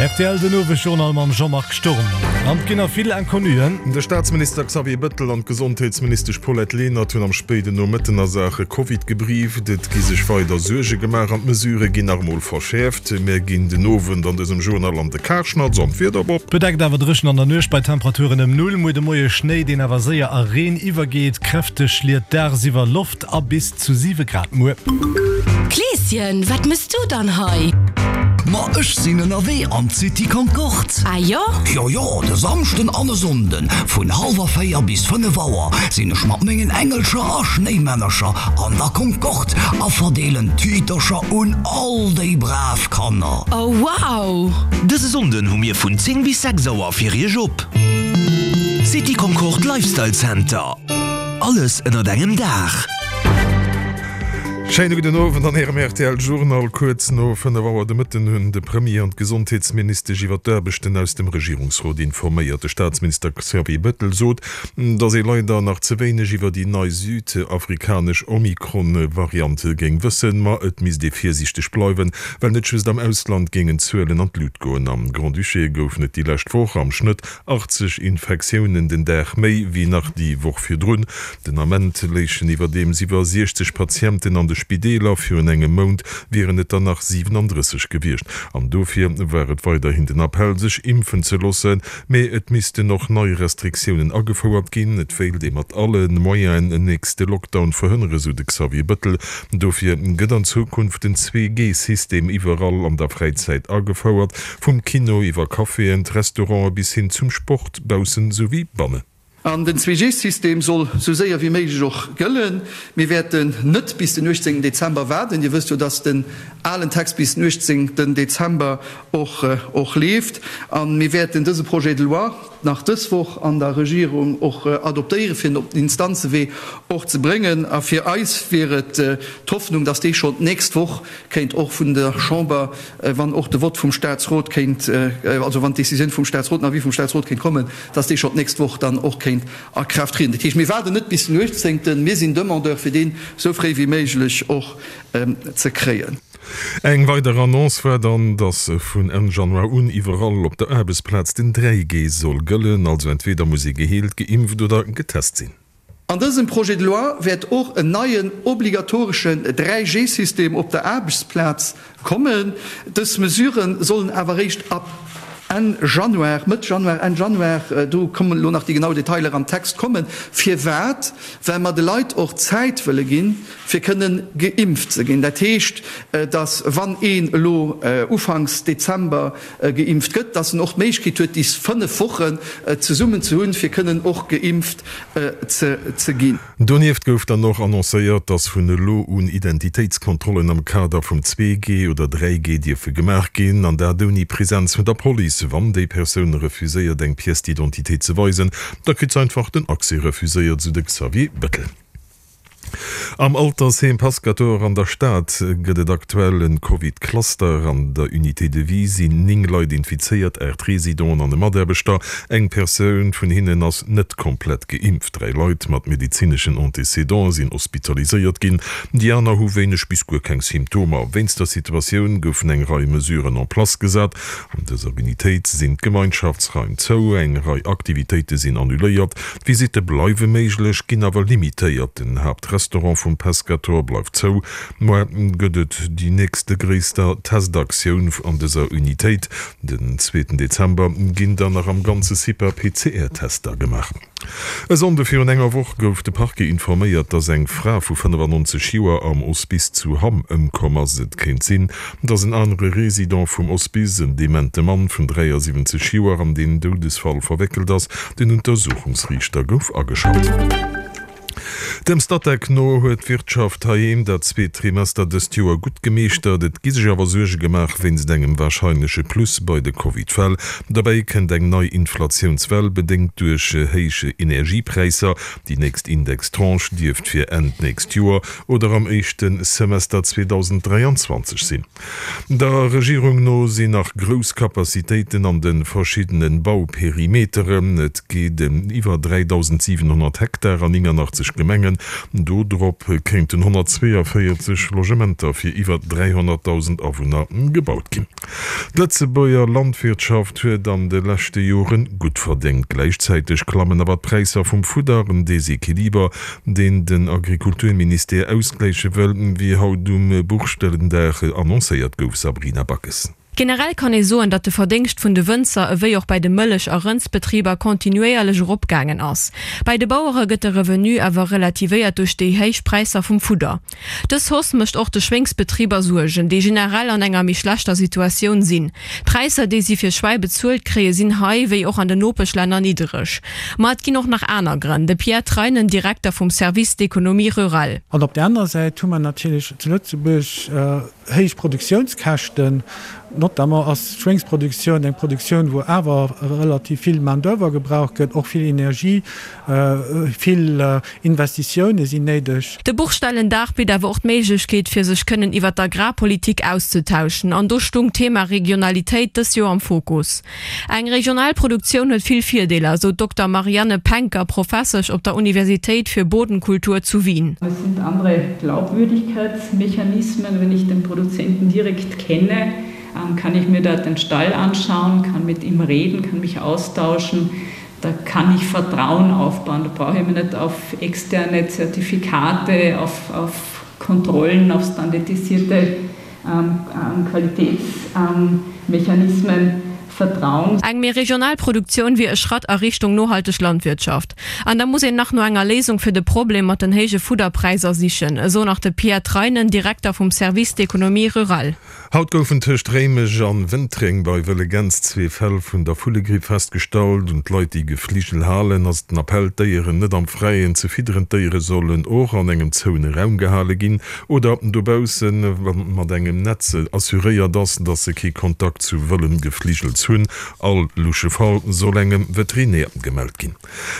Rtl den Owesjournal mam Jean-Marc Sturm. An et ginn nach vill Inconnuen. De Staatsminister Xavier Bëttel an d'Gesondheetsministesch Paulette Lenert hunn am spéiden Nomëtten a Saache Covid gebrieft. Et gi sech weider Suerge gemaach an d'Mesurë ginn nach emol verschäerft. Mär ginn den Owend an dësem Journal an de Karschnatz an d'Wiederbob. Bedeckt awer dréchen an der Nuecht bei Temperaturen ëm Null. Muer de Moie Schnéi, deen awer séier a Reen iwwergeet. Kräfteg schliet dagsiwwer Loft a bis zu 7 Grad muer. Kleeschen, wat mëss du dann hei? Ma ech sinn ënnerwee an d'City Concorde. Ah jo? Jo jo, de Samschden an e Sonnden vun hallwer 4 bis 5 Auer sinn ech mat mengen Engelcher a Schnéimännercher an der Concorde a verdeelen Tütercher un all déi brav Kanner. Oh wow! Dëse Sonnden hu mir vun 10 bis 6 Auer fir iech op. City Concorde Lifestyle Center, alles ënnert engem Daach. Schéine gudden Owend an Ärem rtl Journal. Kuerz no 5 Auer de Mëtten hunn de Premier an d'Gesondheetsministesch iwwer d'Aarbechten aus dem Regierungsrot informéiert. De Staatsminister Xavier Bettel sot, datt ee leider nach ze wéineg iwwer déi nei südafrikanesch Omikron-Variant géing wëssen. Ma et misst ee virsiichteg bleiwen, well net just am Ausland géingen d'Zuelen an d'Lut goen. Am Grand-Duché goufen et déi lescht Woch am Schnëtt 80 Infektiounen den Dag méi wéi nach déi Woch virdrun. Den Ament léichen iwwerdeems iwwer 60 Patienten an de Spideeler, virun engem Mount wieren et der nach 37 gewiescht. An dofir war et weiderhin den Appell, sech impfen ze loossen. Mee et missten och nei Restriktiounen agefouert ginn. Et wéilt ee mat alle Moyenen en nächste Lockdown verhënnere, sou de Xavier Bëttel. Dofir gëtt an Zukunft den Zwee-G-System iwwerall an der Fräizäit agefouert. Vum Kino iwwer Caféen, d'Restaurante bis hin zum Sport, baussen souwéi bannen. An den Zwee-G-System soll sou séier wéi méiglech och gëllen. Mir wäerten net bis den 18 Dezember waarden. Dir wësst jo, dass den alen Text bis den 18 Dezember och och leeft. A mir wäerten dëse Projet de loi nach dës Woch an der Regierung och adoptéieren, fir en op den Instanzewee och ze bréngen. A fir eis wier et d'Hoffnung, dass dee schonn d'nächst Woch kéint och vun der Chamber wann och de Vott vum Statsrot kéint, also wann d'Décisioun vum Statsrot, den Avis vum Statsrot kéint kommen, dass dee schonn d'nächst Woch dann och kéint a Kraaft trieden. Dat heescht, mir waarden net bis den 18. Mir sinn Demandeur, fir deen esou fréi wéi méiglech och ze kréien. Eng weider Annonce war dann, dass vun Enn Januar un iwwerall op der Aarbechtsplaz den 3G soll gëllen, also entweder muss ee geheelt, geimpft oder getest sinn. An dësem Projet de loi wäert och en neien obligatoreschen 3G-System op der Aarbechtsplaz kommen. Dës Mesure sollen awer eréischt ab Enn Januar, Mëtt Januar, Enn Januar, do kommen elo nach déi genau Detailer am Text, kommen. Firwat? Well mer de Leit och Zäit wëlle ginn, fir kënnen geimpft ze ginn. Dat heescht, dass, wann een elo ufanks Dezember geimpft gëtt, dass en och d'Méiglechkeet huet, déi 5 Wochen zesummen ze hunn, fir kënnen och geimpft ze ginn. Donieft gouf dann och annoncéiert, dass vun elo un Identitéitskontrollen am Kader vum 2G oder 3G dierfe gemaach ginn, an dat ouni Presenz vun der Police. Wann déi Persoun refuséiert eng Pièce d'identité ze weisen, da kritt se einfach den Accès refuséiert, sou de Xavier Bettel. Am Altersheem Pascator an der Stad gëtt et aktuell en Covid-Cluster. An der Unité de vie sinn 9 Leit infizéiert, 8 Residenten an e Mataarbechter. Eng Persoun vun hinnen ass net komplett geimpft. 3 Leit mat medezineschen Antécédenten sinn hospitaliséiert ginn, déi aner hu wéineg bis guer keng Symptomer. Wéinst der Situatioun goufen eng Rei Mesuren en place gesat. An dëser Unitéit sinn d'Gemeinschaftsraim zou, eng Rei Aktivitéite sinn annuléiert, d'Visitte bleiwe méiglech, ginn awer limitéiert. Den Haaptrestaurant vum Pescator bleift zou. Muer gëtt et déi nächste gréisster Testaktioun an dëser Unitéit. Den zweeten Dezember ginn dann nach am ganze CIPA PCR-Tester gemaach. E Sonnde virun enger Woch gouf de Parquet informéiert, dass eng Fra vu 95 Joer am Hospice zu Hamm ëmkomm ass. Et kéint sinn, dass en anere Resident vum Hospice, en demente Mann vun 73 Joer, an deen Doudesfall verwéckelt ass. Den Untersuchungsriichter gouf ageschalt. Dem Statec no huet d'Wirtschaft heiheem dat zweet Trimester dëst Joer gutt gemeeschtert. Et gi sech awer Suerge gemaach wéinst engem warscheinleche Plus bei de Covid-Fäll. Derbäi kënnt eng nei Inflatiounswell, bedéngt duerch héich Energiepräisser. Déi nächst Indextranche dierft fir Enn d'nächst Joer oder am éischte Semester 2023 sinn. Der Regierung no sinn nach grouss Capacitéiten an de verschiddene Bauperimeteren. Et geet ëm iwwer 3.700 Hektar an 89. 30 Gemengen. Do drop kéinten 142 Logementer fir iwwer 300.000 Awunner gebaut ginn. D'Lëtzebuerger Landwirtschaft huet an de leschte Jore gutt verdéngt. Gläichzäiteg klammen awer d'Präisser vum Fudder. En Desequiliber, deen den Agrikulturministère ausgläiche wëll, wéi haut um Buchstellendag annoncéiert gouf. Sabrina Backes. Generell kann ee soen, datt de Verdéngscht vun de Wënzer ewéi och bei de Mëllech a Rëndsbetriber kontinuéierlech eropgaangen ass. Bäi de Bauere gëtt de Revenu awer relativéiert duerch déi héich Präisser vum Fudder. Dës Hausse mécht och de Schwéngsbetriber Suergen, déi generell an enger méi schlechter Situatioun sinn. D'Präisser, déi si fir Schwäi bezuelt kréie sinn hei, wéi och an den Nopeschlänner, niddereg. Ma et ginn och nach aner Grënn. De Pierre Treinen, Direkter vum Service d'économie rurale. An op där anerer Säit hu mer natierlech zu Lëtzebuerg Héich Produktiounskäschten, notamment ass d'Schwéngsproduktioun eng Produktioun, wou awer relativ vill Main d'oeuvre gebraucht gëtt, och vill Energie, vill Investitioune sinn néideg. De Buchstellendag bitt awer och d'Méiglechkeet, fir sech kënnen iwwer d'Agrarpolitik auszetauschen. An do stung d'Thema Regionalitéit dës Joer am Fokus. Eng regional Produktioun huet vill Virdeeler, esou d'Dokter Marianne Penker, Professesch op der Universitéit für Bodenkultur zu Wien. Es sind andere Glaubwürdigkeitsmechanismen. Wenn ich den Produzenten direkt kenne, kann ich mir dort den Stall anschauen, kann mit ihm reden, kann mich austauschen. Da kann ich Vertrauen aufbauen. Da brauche ich mich nicht auf externe Zertifikate, auf, auf Kontrollen, auf standardisierte Qualitätsmechanismen vertrauen. Eng méi regional Produktioun wier e Schratt a Richtung nohalteg Landwirtschaft. An da muss een nach no enger Léisung fir de Problem mat den héije Fudderpräisser sichen, esou nach de Pierre Treinen, Direkter vum Service d'économie rurale. Haut goufen tëscht Réimech an Wëntreng bei wëlle Gäns zwee Fäll vun der Vullegripp festgestallt. Un d'Leit, déi Gefligel halen, ass den Appell, d'Déieren net am Fräien ze fidderen. D'Déiere sollen och an engem zouene Raum gehale ginn oder dobaussen, wa mat engem Netz assuréiert ass, dass se kee Kontakt zu wëllem Gefligels hunn. All lusche Fall soll engem Veterinär gemellt ginn.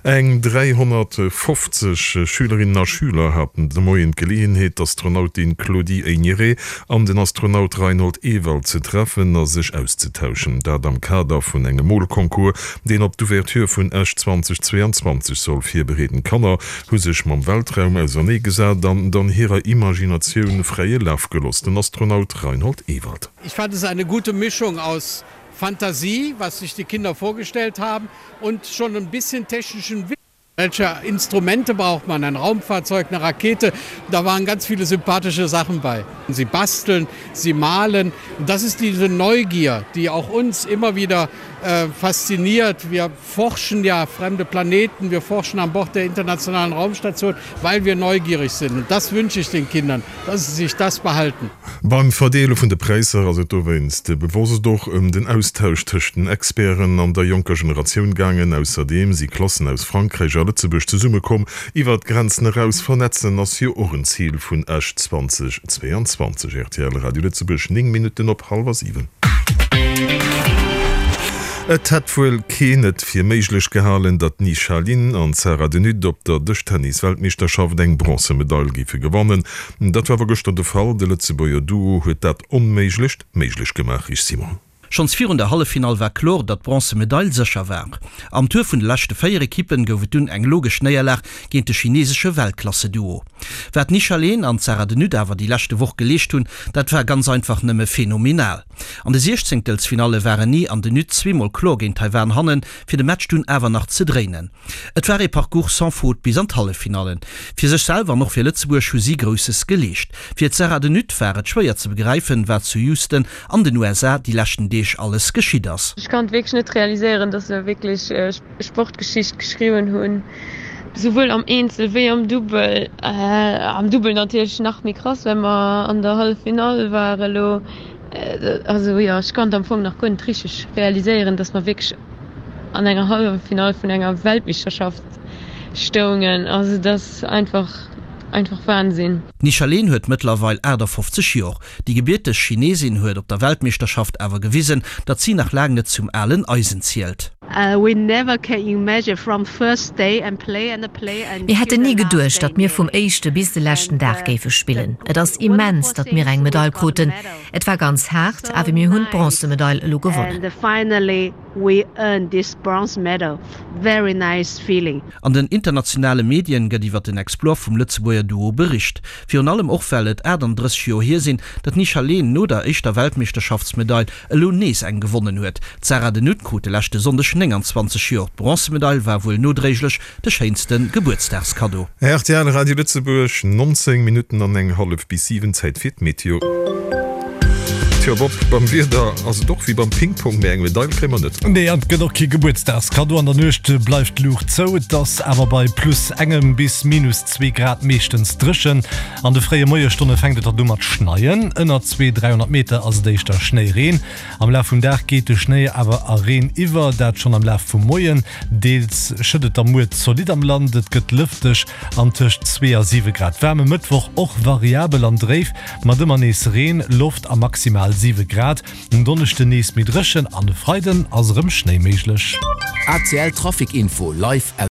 Eng 350 Schülerinnen a Schüler haten de Moien d'Geleeënheet, d'Astronautin Claudie Haigneré an den Astronaut Reinhold Ewald ze treffen a sech auszetauschen. Dat am Kader vun engem Molconcours, deen op d'Ouverture vun Esch 2022 soll virbereeden. D'Kanner hu sech mam Weltraum ausernee gesat an dann hirer Imaginatioun fräie Laf geloss. Den Astronaut Reinhold Ewald. Ich fand es eine gute Mischung aus Fantasie, was sich die Kinder vorgestellt haben und schon ein bisschen technischen Wissen. Welche Instrumente braucht man? Ein Raumfahrzeug, eine Rakete? Da waren ganz viele sympathische Sachen bei. Sie basteln, sie malen. Und das ist diese Neugier, die auch uns immer wieder äh, fasziniert. Wir forschen ja fremde Planeten, wir forschen an Bord der internationalen Raumstation, weil wir neugierig sind. Und das wünsche ich den Kindern, dass sie sich das behalten. Beim Verdeele vun de Präisser ass et dowéinst bewosst och ëm den Austausch tëscht den Experten an der jonker Generatioun gaangen. Ausserdeem si Klassen aus Frankräich a Lëtzebuerg zesummekomm. Iwwer d'Grenzen eraus vernetzen ass jo och en Zil vun Esch 2022. Rtl Radio Lëtzebuerg, 9 Minutten op hallwer 7. Et hätt wuel keen et fir méiglech gehalen, datt d'Nisha Lin an d'Sarah De Nutte op der Dëschtennis-Weltmeeschterschaft eng Bronzemedail géife gewannen. Dat war awer gëschter de Fall. De Lëtzebuerger Duo huet dat Onméiglecht méiglech gemaach. Rich Simon. Schonns virun der Halleffinall war kloer, datt d'Bronzemedail sécher war. Am Tour vun de leschte 4 Ekippen gouf et dunn eng logesch Néierlag géint de chinesesche Weltklasse-Duo. Wat d'Nisha Leen an d'Sarah De Nutte awer déi leschte Woch geleescht hunn, dat war ganz einfach nëmme phenomenal. An de Siechzéngtelsfinalle waren Ni an De Nutte zweemol kloer géint Taiwan hannen, fir de Match dunn awer nach ze dréinen. Et war ee Parcours sans faute bis an d'Halleffinallen. Fir sech selwer an och fir Lëtzebuerg hu si Grousses geleescht. Fir d'Sarah De Nutte war et schwéier ze begräifen, wat zu Houston an den USA déi leschten Deeg alles geschitt ass. Ech kann et wierklech net realiséieren, dass se wierklech Sportgeschicht geschriwwen hunn, souwuel am Eenzel wéi am Dubbel. Am Dubbel natierlech nach méi krass, well mer an der Halleffinall ware elo. Also jo, ech kann et am Fong nach guer net richteg realiséieren, dass mer wierklech an enger Halleffinall vun enger Weltmeeschterschaft stoungen. Also et ass einfach, einfach Wahnsinn. D'Nisha Leen huet mëttlerweil 58 Jor. Déi gebierteg Chinesin huet op der Weltmeeschterschaft awer gewisen, datt si nach laang net zum alen Eisen zielt. Mir hätten ni geduecht, datt mir vum éischte bis de leschten Dag géife spillen. Et ass immens, datt mir eng Medail kruten. Et war ganz haart, awer mir hunn d'Bronzemedail elo gewonnen. We earn this bronze medal, very nice feeling. An den internationale Medien gëtt iwwer den Exploit vum Lëtzebuerger Duo bericht. Virun allem och well et 38 Joer hier sinn, datt d'Nisha Leen no der éischter Weltmeeschterschaftsmedail elo nees eng gewonnen huet. D'Sarah de Nutte krut de leschte Sonndeg 29 Joer. D'Bronzemedail war wuel nodréiglech de schéinste Gebuertsdagskaddo. Rtl Radio Lëtzebuerg, 19 Minutten an eng hallef bis 7, Zäit fir d'Meteo. Tjo Bob, beim Wieder ass et och wéi beim Ping-Pong, mee eng Medail kréie mer net. Nee, an et gëtt och kee Gebuertsdagskaddo. An der Nuecht bleift d'Luucht zou, et ass awer bei plus engem bis minus zwee Grad meeschtens dréchen. An de fréie Moiesstonne fänkt et dann u mat schneien, ënner 200, 300 Meter ass et éischter Schnéireen. Am Laf vum Dag geet de Schnéi awer a Reen iwwer, dat schonn am Laf vum Moien. Deels schëtt et da muer zolidd am Land, et gëtt lëfteg an tëscht 2 a 7 Grad waarm. E Mëttwoch och variabel an dréif mat ëmmer nees Reen, Loft a maximal 7 Grad. En Donneschden nees méi dréchen an e Freiden ass erëm Schnéi méiglech. ACL Trafic Info live aus.